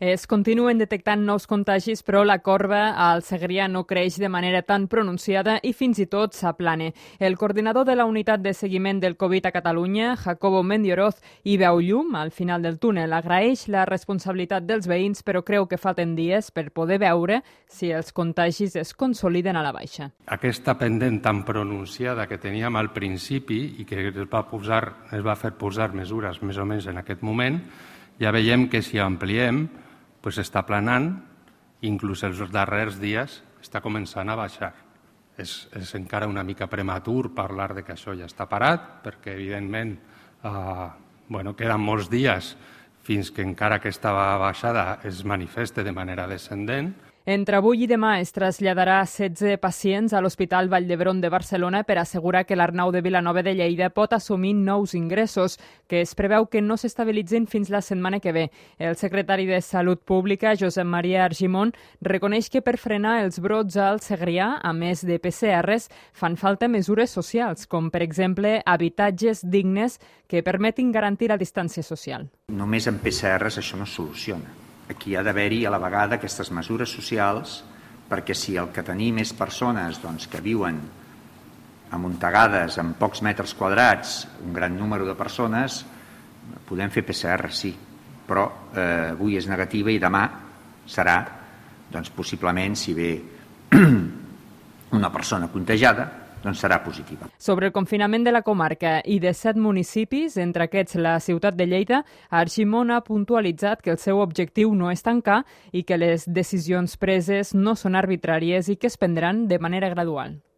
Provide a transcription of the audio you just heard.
Es continuen detectant nous contagis, però la corba al Segrià no creix de manera tan pronunciada i fins i tot s'aplana. El coordinador de la unitat de seguiment del Covid a Catalunya, Jacobo Mendioroz, hi veu llum al final del túnel. Agraeix la responsabilitat dels veïns, però creu que falten dies per poder veure si els contagis es consoliden a la baixa. Aquesta pendent tan pronunciada que teníem al principi i que es va fer posar mesures més o menys en aquest moment, ja veiem que si ampliem està planant, inclús els darrers dies està començant a baixar. És encara una mica prematur parlar de que això ja està parat, perquè evidentment queden molts dies fins que encara aquesta baixada es manifeste de manera descendent. Entre avui i demà es traslladarà 16 pacients a l'Hospital Vall d'Hebron de Barcelona per assegurar que l'Arnau de Vilanova de Lleida pot assumir nous ingressos, que es preveu que no s'estabilitzin fins la setmana que ve. El secretari de Salut Pública, Josep Maria Argimon, reconeix que per frenar els brots al Segrià, a més de PCRs, fan falta mesures socials, com per exemple habitatges dignes que permetin garantir la distància social. Només amb PCRs això no es soluciona. Aquí ha d'haver-hi a la vegada aquestes mesures socials, perquè si el que tenim és persones que viuen amuntegades en pocs metres quadrats, un gran número de persones, podem fer PCR, sí, però avui és negativa i demà serà, possiblement, si ve una persona contagiada, serà positiva. Sobre el confinament de la comarca i de 7 municipis, entre aquests la ciutat de Lleida, Argimon ha puntualitzat que el seu objectiu no és tancar i que les decisions preses no són arbitràries i que es prendran de manera gradual.